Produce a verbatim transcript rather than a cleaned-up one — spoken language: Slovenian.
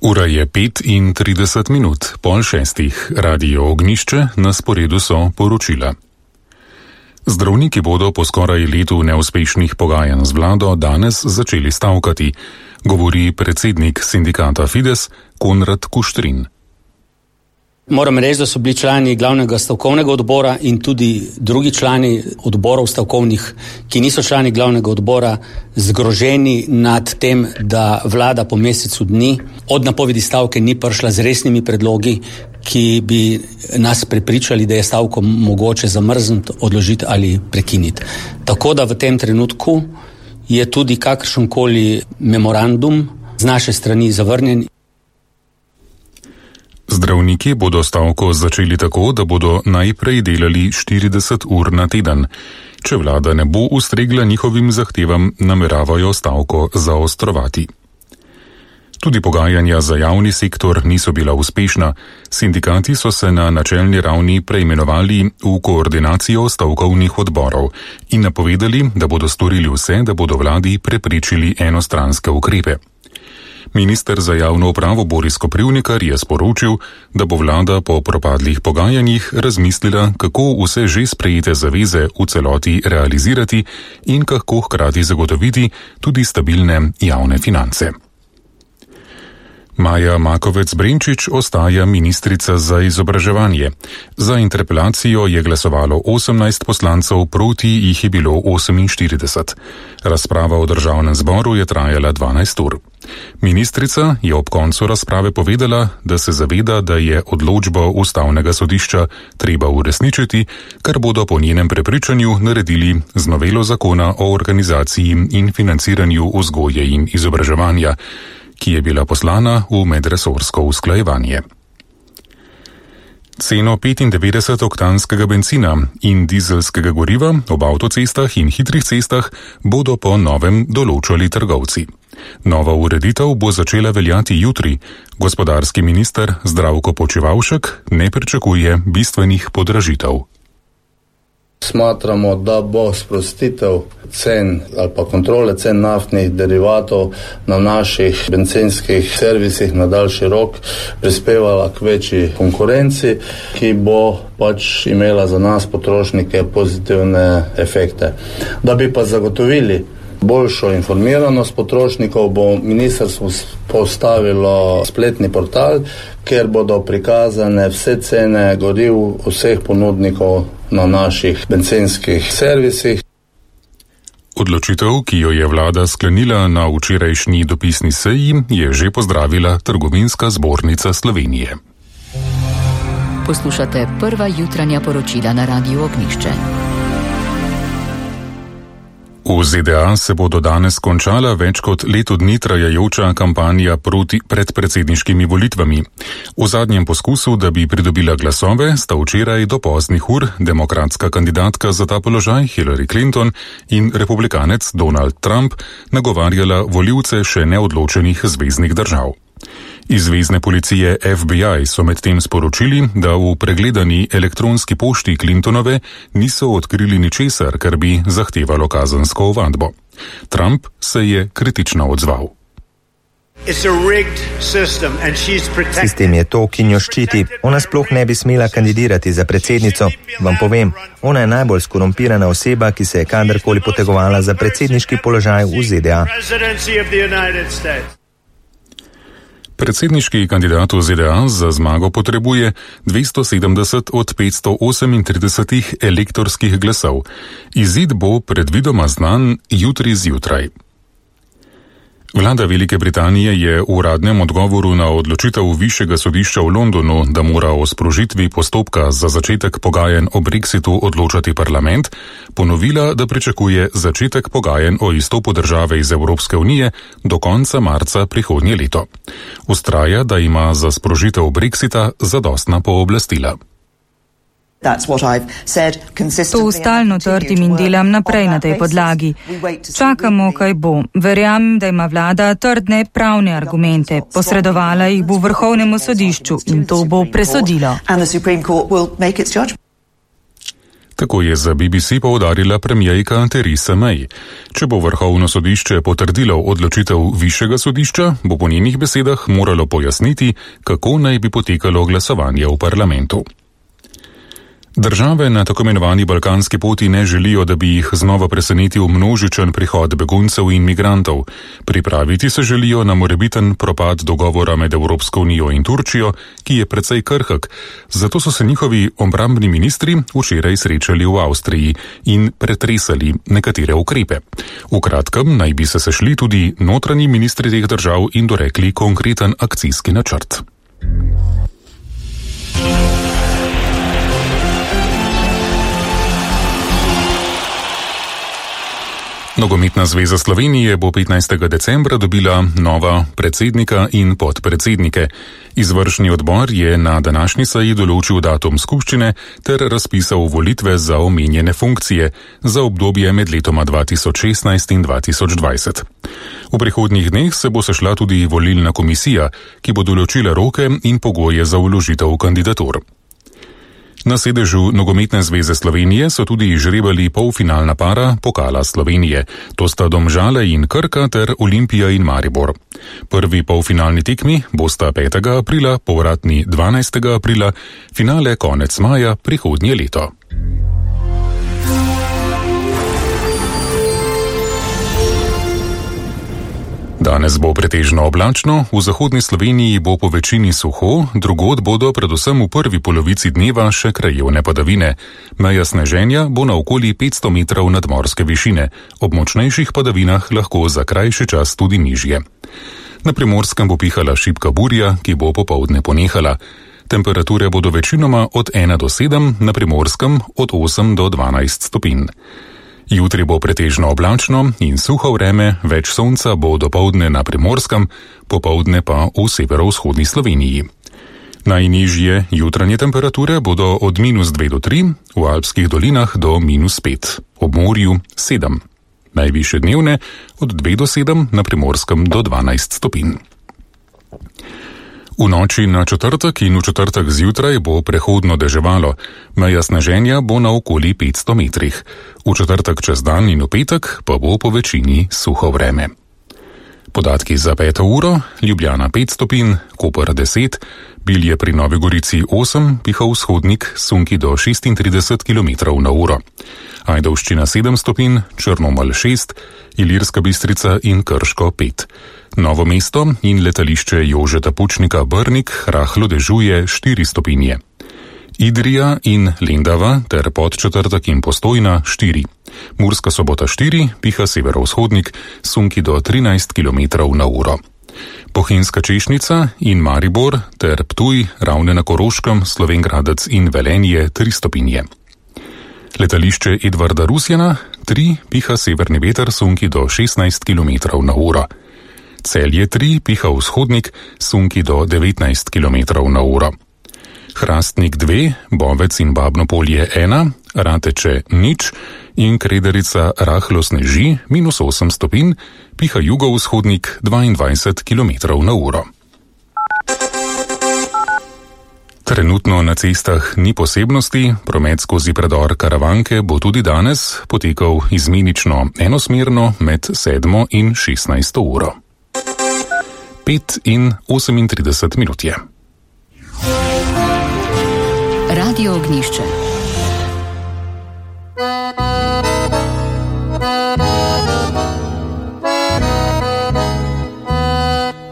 Ura je pet in trideset minut, pol šestih. Radio Ognjišče, na sporedu so poročila. Zdravniki bodo po skoraj letu neuspešnih pogajanj z vlado danes začeli stavkati, govori predsednik sindikata Fides Konrad Kuštrin. Moram reči, da so bili člani glavnega stavkovnega odbora in tudi drugi člani odborov stavkovnih, ki niso člani glavnega odbora, zgroženi nad tem, da vlada po mesecu dni od napovedi stavke ni prišla z resnimi predlogi, ki bi nas prepričali, da je stavko mogoče zamrzniti, odložiti ali prekiniti. Tako da v tem trenutku je tudi kakršenkoli memorandum z naše strani zavrnjen. Zdravniki bodo stavko začeli tako, da bodo najprej delali štirideset ur na teden. Če vlada ne bo ustregla njihovim zahtevam, nameravajo stavko zaostrovati. Tudi pogajanja za javni sektor niso bila uspešna. Sindikati so se na načelni ravni preimenovali v koordinacijo stavkovnih odborov in napovedali, da bodo storili vse, da bodo vladi preprečili enostranske ukrepe. Minister za javno upravo Boris Koprivnikar je sporočil, da bo vlada po propadlih pogajanjih razmislila, kako vse že sprejete zaveze v celoti realizirati in kako hkrati zagotoviti tudi stabilne javne finance. Maja Makovec-Brenčič ostaja ministrica za izobraževanje. Za interpelacijo je glasovalo osemnajst poslancev, proti jih je bilo oseminštirideset. Razprava v državnem zboru je trajala dvanajst ur. Ministrica je ob koncu razprave povedala, da se zaveda, da je odločbo ustavnega sodišča treba uresničiti, kar bodo po njenem prepričanju naredili z novelo zakona o organizaciji in financiranju vzgoje in izobraževanja, ki je bila poslana v medresorsko usklajevanje. Ceno petindevetdesetoktanskega bencina in dizelskega goriva ob avtocestah in hitrih cestah bodo po novem določali trgovci. Nova ureditev bo začela veljati jutri. Gospodarski minister Zdravko Počivalšek ne pričakuje bistvenih podražitev. Smatramo, da bo sprostitev cen ali pa kontrole cen naftnih derivatov na naših bencinskih servisih na daljši rok prispevala k večji konkurenci, ki bo pač imela za nas potrošnike pozitivne efekte. Da bi pa zagotovili boljšo informiranost potrošnikov, bo ministrstvo postavilo spletni portal, kjer bodo prikazane vse cene goriv vseh ponudnikov na naših bencinskih servisih. Odločitev, ki jo je vlada sklenila na včerajšnji dopisni seji, je že pozdravila Trgovinska zbornica Slovenije. Poslušate prva jutranja poročila na Radiu Ognjišče. V Z D A se bodo danes končala več kot leto dni trajajoča kampanja proti pred predsedniškimi volitvami. V zadnjem poskusu, da bi pridobila glasove, sta včeraj do poznih ur demokratska kandidatka za ta položaj Hillary Clinton in republikanec Donald Trump nagovarjala volivce še neodločenih zveznih držav. Iz zvezne policije F B I so medtem sporočili, da v pregledani elektronski pošti Clintonove niso odkrili ničesar, kar bi zahtevalo kazensko ovadbo. Trump se je kritično odzval. Sistem je to, ki njo ščiti. Ona sploh ne bi smela kandidirati za predsednico. Vam povem, ona je najbolj skorumpirana oseba, ki se je kadarkoli potegovala za predsedniški položaj v Z D A. Predsedniški kandidat v Z D A za zmago potrebuje dvesto sedemdeset od petsto osemintrideset elektorskih glasov. Izid bo predvidoma znan jutri zjutraj. Vlada Velike Britanije je v uradnem odgovoru na odločitev Višjega sodišča v Londonu, da mora o sprožitvi postopka za začetek pogajanj o Brexitu odločati parlament, ponovila, da pričakuje začetek pogajanj o izstopu države iz Evropske unije do konca marca prihodnje leto. Vztraja, da ima za sprožitev Brexita zadostna pooblastila. To stalno trdim in delam naprej na tej podlagi. Čakamo, kaj bo. Verjamem, da ima vlada trdne pravne argumente. Posredovala jih bo Vrhovnemu sodišču in to bo presodilo. Tako je za B B C poudarila premijejka Theresa May. Če bo vrhovno sodišče potrdilo odločitev višjega sodišča, bo po njenih besedah moralo pojasniti, kako naj bi potekalo glasovanje v parlamentu. Države na tako imenovani balkanski poti ne želijo, da bi jih znova presenetil množičen prihod beguncev in migrantov. Pripraviti se želijo na morebiten propad dogovora med Evropsko unijo in Turčijo, ki je precej krhek. Zato so se njihovi obrambni ministri včeraj srečali v Avstriji in pretresali nekatere ukrepe. V kratkem naj bi se sešli tudi notranji ministri teh držav in dorekli konkreten akcijski načrt. Nogometna zveza Slovenije bo petnajstega decembra dobila nova predsednika in podpredsednike. Izvršni odbor je na današnji seji določil datum skupščine ter razpisal volitve za omenjene funkcije za obdobje med letoma dva tisoč šestnajst in dva tisoč dvajset. V prihodnjih dneh se bo sešla tudi volilna komisija, ki bo določila roke in pogoje za vložitev kandidatur. Na sedežu Nogometne zveze Slovenije so tudi žrebali polfinalna para Pokala Slovenije. To sta Domžale in Krka ter Olimpija in Maribor. Prvi polfinalni tekmi bosta petega aprila, povratni dvanajstega aprila, finale konec maja prihodnje leto. Danes bo pretežno oblačno, v zahodni Sloveniji bo po večini suho, drugod bodo predvsem v prvi polovici dneva še krajevne padavine. Meja sneženja bo na okoli petsto metrov nadmorske višine, ob močnejših padavinah lahko za krajši čas tudi nižje. Na Primorskem bo pihala šibka burja, ki bo popoldne ponehala. Temperature bodo večinoma od ena do sedem, na Primorskem od osem do dvanajst stopinj. Jutri bo pretežno oblačno in suho vreme, več sonca bo dopoldne na Primorskem, popoldne pa v severovzhodni Sloveniji. Najnižje jutranje temperature bodo od minus dve do tri, v alpskih dolinah do minus pet, ob morju sedem. Najvišje dnevne od dve do sedem, na Primorskem do dvanajst stopinj. V noči na četrtek in v četrtek zjutraj bo prehodno deževalo, meja sneženja bo na okoli petsto metrih. V četrtek čez dan in v petek pa bo po večini suho vreme. Podatki za peto uro: Ljubljana pet stopinj, Koper deset, Bilje pri Novi Gorici osem, piha vzhodnik, sunki do šestintrideset kilometrov na uro. Ajdovščina sedem stopinj, Črnomelj šest, Ilirska Bistrica in Krško pet. Novo mesto in letališče Jožeta Pučnika Brnik rahlo dežuje štiri stopinje. Idrija in Lendava ter Podčetrtek in Postojna štiri. Murska Sobota štiri, piha severovzhodnik, sunki do trinajst kilometrov na uro. Bohinjska Češnica in Maribor ter Ptuj, Ravne na Koroškem, Slovenj Gradec in Velenje tri stopinje. Letališče Edvarda Rusjana tri, piha severni veter, sunki do šestnajst kilometrov na uro. Celje tri, piha vzhodnik, sunki do devetnajst kilometrov na uro. Hrastnik dve, Bovec in Babno Polje ena, Rateče nič in Krederica rahlo sneži minus osem stopinj, piha jugovzhodnik dvaindvajset kilometrov na uro. Trenutno na cestah ni posebnosti, promet skozi predor Karavanke bo tudi danes potekal izmenično enosmerno med sedmo in šestnajsto uro. pet in osemintrideset minut je. Radio Ognjišče.